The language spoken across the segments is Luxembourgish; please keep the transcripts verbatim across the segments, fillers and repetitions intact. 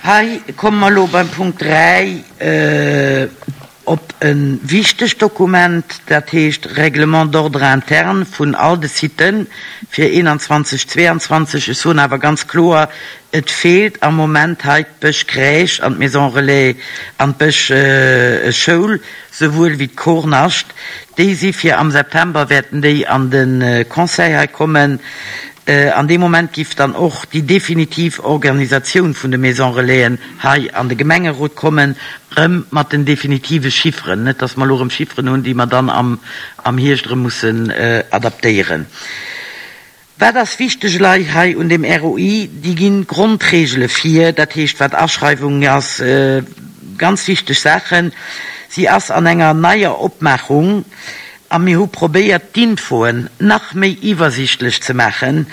Hei komme mer elo beim Punkt dräi op e wichtegt Dokument, dat heescht Règlement d'ordre interne vun all de Siten fir eenanzwanzeg, zweeanzwanzeg. Ech soen awer ganz kloer, et feelt am Moment hei d'Bësch Crèche an d'Maison Relais an d'Bësch Schoul, souwuel wéi d'Kornascht. Déi si fir am September wäerten déi an de Conseil hei kommen. An deem Moment giff dann och déi definitiv Organisatioun vun de Maison Relaisen hei an de Gemengerot kommen, erëm mat den definitive Chifferen, net dass mer elo erëm Chifferen hunn, déi mer dann am am Hierscht erëm mussen adaptéieren. Wat ass wichteg elei hei un dem R O I? Déi ginn d'Grondregele vir, dat heescht wat Aschreiwung ass, ganz wichteg Saachen. Si ass an enger neier Opmaachung a mir hu probéiert d'Infoen nach méi iwwersichtlech ze maachen.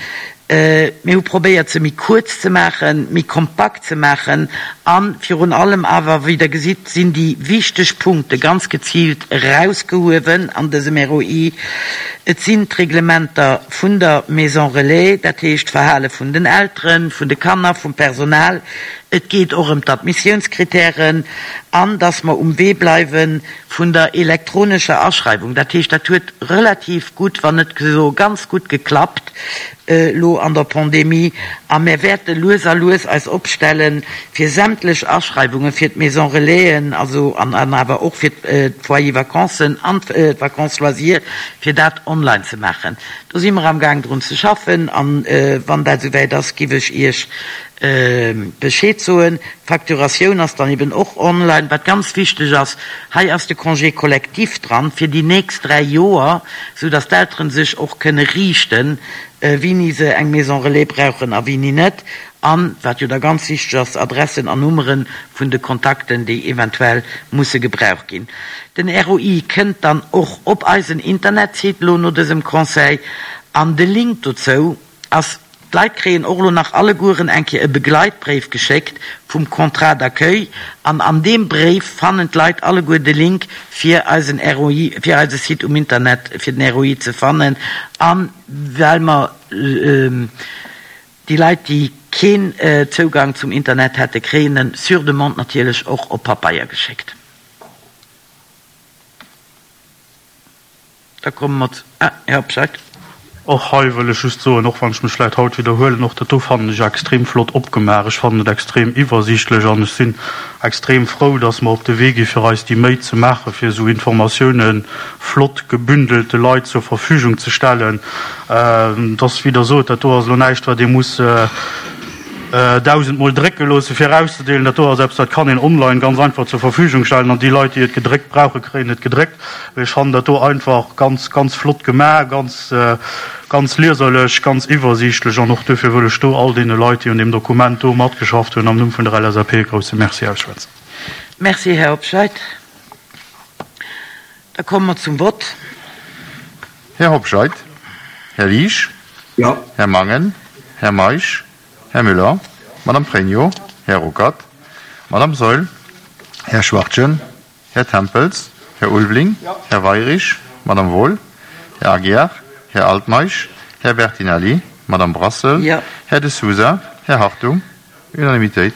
Mir hu probéiert se méi kuerz ze maachen, méi kompakt ze maachen a virun allem awer, wéi Der gesitt, sinn déi wichteg Punkte ganz geziilt erausgehuewen an dësem R O I. Et sinn d'Reglementer vun der Maison Relais, dat heescht d'Verhale vun den Elteren, vun de Kanner, vum Personal. Et geet och ëm d'Admissiounskritären an dass mer um Wee bleiwe vun der elektronescher Aschreiwung. Dat heescht, dat huet relativ gutt, wann net esou ganz gutt geklappt elo an der Pandemie a mir wäerte lues a lues eis opstelle fir sämtlech Aschreiwunge fir d'Maison Relaisen, also an awer och fir d'Foyer Vacancen an d'Vacances Loisirs, fir dat online ze maachen. Do si mer amgaang drun ze schaffen an wann dat esouwäit ass, giff ech Iech Bescheed soen. D'Facturatioun ass dann eben och online. Wat ganz wichteg ass, hei ass de Congé collectif dran fir déi nächst dräi Joer, sou datt d'Elteren sech och kënne riichten, wéini se eng Maison Relais brauchen a wéini net. An, wat jo da ganz wichteg ass, Adressen an Nummere vun de Kontakten, déi eventuell musse gebraucht ginn. Den R O I kënnt dann och op eisen Internetsite lo no dësem Conseil an de Link dozou ass. D'Leit kréien och elo nach allegueren eng Kéier e Begleitbréif geschéckt vum Contrat d'accueil an an deem Bréif fannen d'Leit alleguer de Link fir eisen R O I, fir eise Site um Internet fir den R O I ze fannen. A well mer déi Leit, déi keen Zougang zum Internet hätte, kréien en sur demande natierlech och op Papeier geschéckt. Da komme mer zu, ah, Här Hobscheit. Och hei wëll ech just soen, och wann ech mech vläicht haut widderhuelen, och dat do fannen ech extrem flott opgemaach. Ech fannen et extrem iwwersiichtlech an ech sinn extrem frou, dass mer op de Wee gi fir eis déi Méi ze maachen, fir esou Informatiounen flott gebündelt de Leit zur Verfügung ze stellen. Dass, wéi Der sot, dat do ass elo näischt, wat ee muss dausendmol drécke loosse fir erauszedeelen. Dat do ass eppes, dat kann een online ganz einfach zur Verfügung stellen an déi Leit, déi et gedréckt brauchen, kréien et gedréckt. Ech fannen dat do einfach ganz, ganz flott gemaach, ganz, ganz lieserlech, ganz iwwersiichtlech an och duerfir wëll ech do all deene Leit, déi un deem Dokument do matgeschafft hunn, am Numm vun der L S A P e grousse Merci ausschwätzen. Merci, Här Hobscheit. Da komme mer zum Vott. Här Hobscheit, Här Liesch, Jo. Här Mangen, Här Meisch, Här Müller, Madame Pregno, Här Ruckert, Madame Saeul, Här Schwachtgen, Här Tempels, Här Ulveling, Här Weyrich, Madame Wohl, Här Aguiar, Här Altmeisch, Här Bertinelli, Madame Brassel, Jo. Här De Sousa, Här Hartung. Unanimitéit.